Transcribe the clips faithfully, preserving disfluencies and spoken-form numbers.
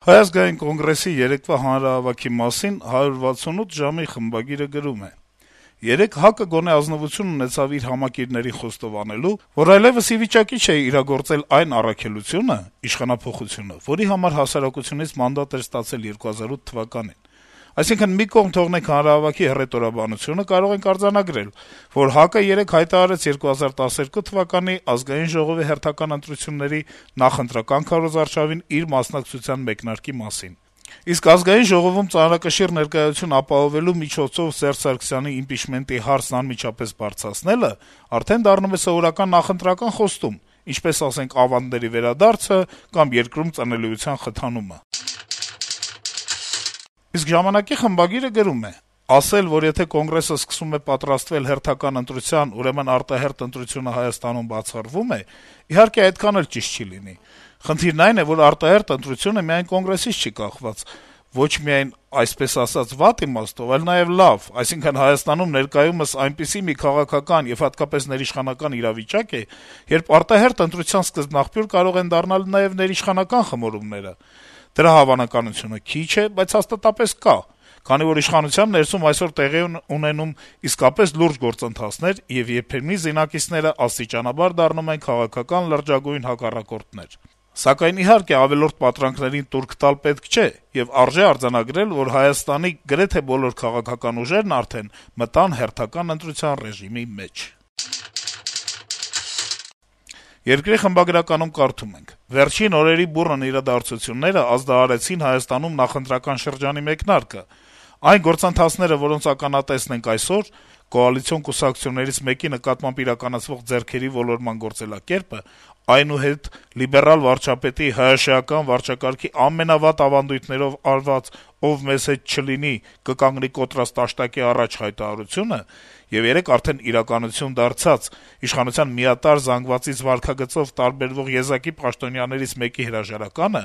Հայ ազգային կոնգրեսի երեկվա հանրահավաքի մասին «հարյուր վաթսունութ ժամ»-ի խմբագիրը գրում է. - «Երեկ ՀԱԿ-ը գոնե ազնվություն ունեցավ իր համակիրներին խոստովանելու, որ այլեւս ի վիճակի չէ իրագործել այն առաքելությունը (իշխանափոխությունը), որի համար հասարակությունից մանդատ էր ստացել երկու հազար ութ թվականին: Այսինքն` մի կողմ թողնենք հանրահավաքի հռետորաբանությունը, կարող ենք արձանագրել, որ ՀԱԿ-ը երեկ հայտարարեց երկու հազար տասներկու թվականի Ազգային ժողովի հերթական ընտրությունների նախընտրական քարոզարշավին իր մասնակցության մեկնարկի մասին: Իսկ Ազգային ժողովում ծանրակշիռ ներկայություն ապահովելու միջոցով Սերժ Սարգսյանի իմպիչմենտի հարցն անմիջապես բարձրացնելը արդեն դառնում է սովորական նախընտրական խոստում, ինչպես, ասենք, ավանդների վերադարձը կամ երկրում ծնելիության խթանումը»: Իսկ «Ժամանակ»-ի խմբագիրը գրում է. - «Ասել, որ եթե Կոնգրեսը սկսում է պատրաստվել հերթական ընտրության, ուրեմն արտահերթ ընտրությունը Հայաստանում բացառվում է, իհարկե այդքան էլ ճիշտ չի լինի: Խնդիրն այն է, որ արտահերթ ընտրությունը միայն Կոնգրեսից չի կախված, ոչ միայն, այսպես ասած, վատ իմաստով, այլ նաեւ լավ, այսինքն` Հայաստանում ներկայումս այնպիսի մի քաղաքական եւ հատկապես ներիշխանական իրավիճակ է, երբ արտահերթ ընտրության սկզբնաղբյուր կարող են դառնալ նաեւ ներիշխանական խմորումները: Դրա հավանականությունը քիչ է, բայց հաստատապես կա, քանի որ իշխանության ներսում այսօր տեղի են ունենում իսկապես լուրջ գործընթացներ, եւ երբեմնի զինակիցները աստիճանաբար դառնում են քաղաքական լրջագույն հակառակորդներ: Սակայն, իհարկե, ավելորդ պատրանքներին տուրք տալ պետք չէ, եւ արժե արձանագրել, որ Հայաստանի գրեթե բոլոր քաղաքական ուժերն արդեն մտան հերթական ընտրության ռեժիմի մեջ»: «Երկիր» թերթի խմբագրականում կարդում ենք. - «Վերջին օրերի բուռն իրադարձությունները ազդարարեցին Հայաստանում նախընտրական շրջանի մեկնարկը: Այն գործընթացները, որոնց ականատեսն ենք այսօր, կոալիցիոն կուսակցություններից մեկի նկատմամբ իրականացվող ձեռքերի ոլորման գործելակերպը, այնուհետ լիբերալ վարչապետի ՀՀՇ-ական վարչակարգի ամենավատ ավանդույթներով արված «ով մեզ հետ չլինի, կկանգնի կոտրած տաշտակի առաջ» հայտարարությունը եւ երեկ արդեն իրականություն դարձած իշխանության միատարր զանգվածից վարքագծով տարբերվող եզակի պաշտոնյաներից մեկի հրաժարականը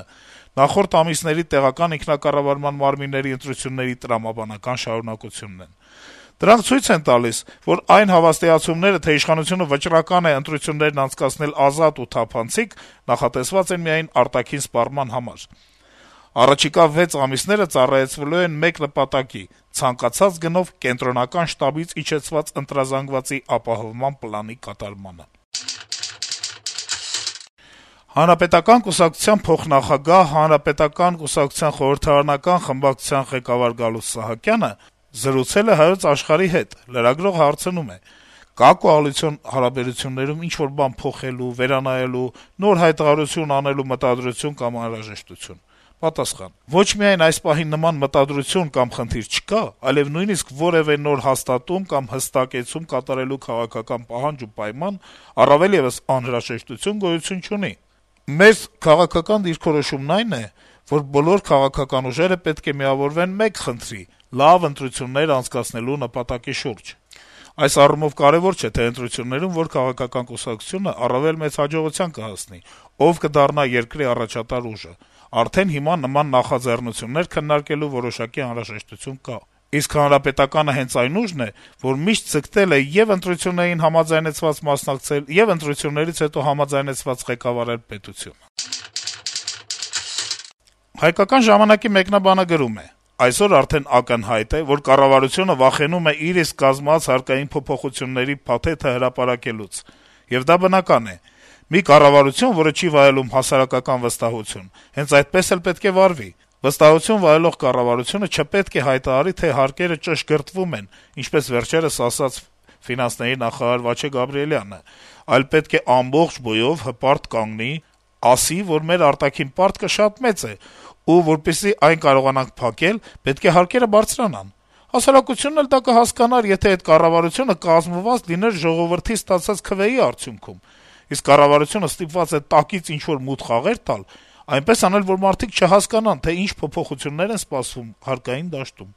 նախորդ ամիսների տեղական ինքնակառավարման մարմինների ընտրությունների տրամաբանական շարունակությունն են: Դրանք ցույց են տալիս, որ այն հավաստիացումները, թե իշխանությունը վճռական է ընտրություններն անցկացնել ազատ ու թափանցիկ, նախատեսված են միայն արտաքին սպառման համար: Առաջիկա վեց ամիսները ծառայեցվելու են մեկ նպատակի` ցանկացած գնով Կենտրոնական շտաբից իջեցված ընտրազանգվածի ապահովման պլանի կատարմանը»: Հանրապետական կուսակցության փոխնախագահ, Հանրապետական կուսակցության խորհրդարանական խմբակցության ղեկավար Գալուստ Սահակյանը զրուցել է «Հայոց Աշխարհ»-ի հետ: Լրագրողը հարցնում է. - «Կա՞ կոալիցիոն հարաբերություններում ինչ-որ բան փոխելու, վերանայելու, նոր հայտարարություն անելու մտադրություն կամ անհրաժեշտություն»: Պատասխան. - «Ոչ միայն այս պահին նման մտադրություն կամ խնդիր չկա, այլեւ նույնիսկ որեւէ նոր հաստատում կամ հստակեցում կատարելու քաղաքական պահանջ ու պայման, առավել եւս անհրաժեշտություն գոյություն չունի: Մեր քաղաքական դիրքորոշումն այն է, որ բոլոր քաղաքական ուժերը պետք է միավորվեն մեկ խնդրի` լավ ընտրություններ անցկացնելու նպատակի շուրջ: Այս առումով կարեւոր չէ, թե ընտրություններում որ քաղաքական կուսակցությունը առավել մեծ հաջողության կհասնի, ով կդառնա երկրի առաջատար ուժը: Արդեն հիմա նման նախաձեռնություններ քննարկելու որոշակի անհրաժեշտություն կա: Իսկ Հանրապետականը հենց այն ուժն է, որ միշտ ձգտել է ե'ւ ընտրություններին համաձայնեցված մասնակցել, ե'ւ ընտրություններից հետո համաձայնեցված ղեկավարել պետությունը»: «Հայկական ժամանակ»-ի մեկնաբանը գրում է. - «Այսօր արդեն ակնհայտ է, որ կառավարությունը վախենում է իր իսկ կազմած հարկային փոփոխությունների փաթեթը հրապարակելուց: Եվ դա բնական է: Մի կառավարություն, որը չի վայելում հասարակական վստահություն, հենց այդպես էլ պետք է վարվի: Վստահություն վայելող կառավարությունը չպետք է հայտարարի, թե հարկերը ճշգրտվում են, ինչպես վերջերս ասաց ֆինանսների նախարար Վաչե Գաբրիելյանը, այլ պետք է ամբողջ բույով հպարտ կանգնի, ասի, որ մեր արտաքին պարտքը շատ մեծ է, ու որպեսզի այն կարողանանք փակել, պետք է հարկերը բարձրանան: Հասարակությունն էլ դա կհասկանար, եթե այդ կառավարությունը կազմված լիներ ժողովրդից ստացած քվեի արդյունքում: Իսկ կառավարությունը ստիպված է տակից ինչ-որ մութ խաղեր տալ, այնպես անել, որ մարդիկ չհասկանան, թե ինչ փոփոխություններ են սպասվում հարկային դաշտում»: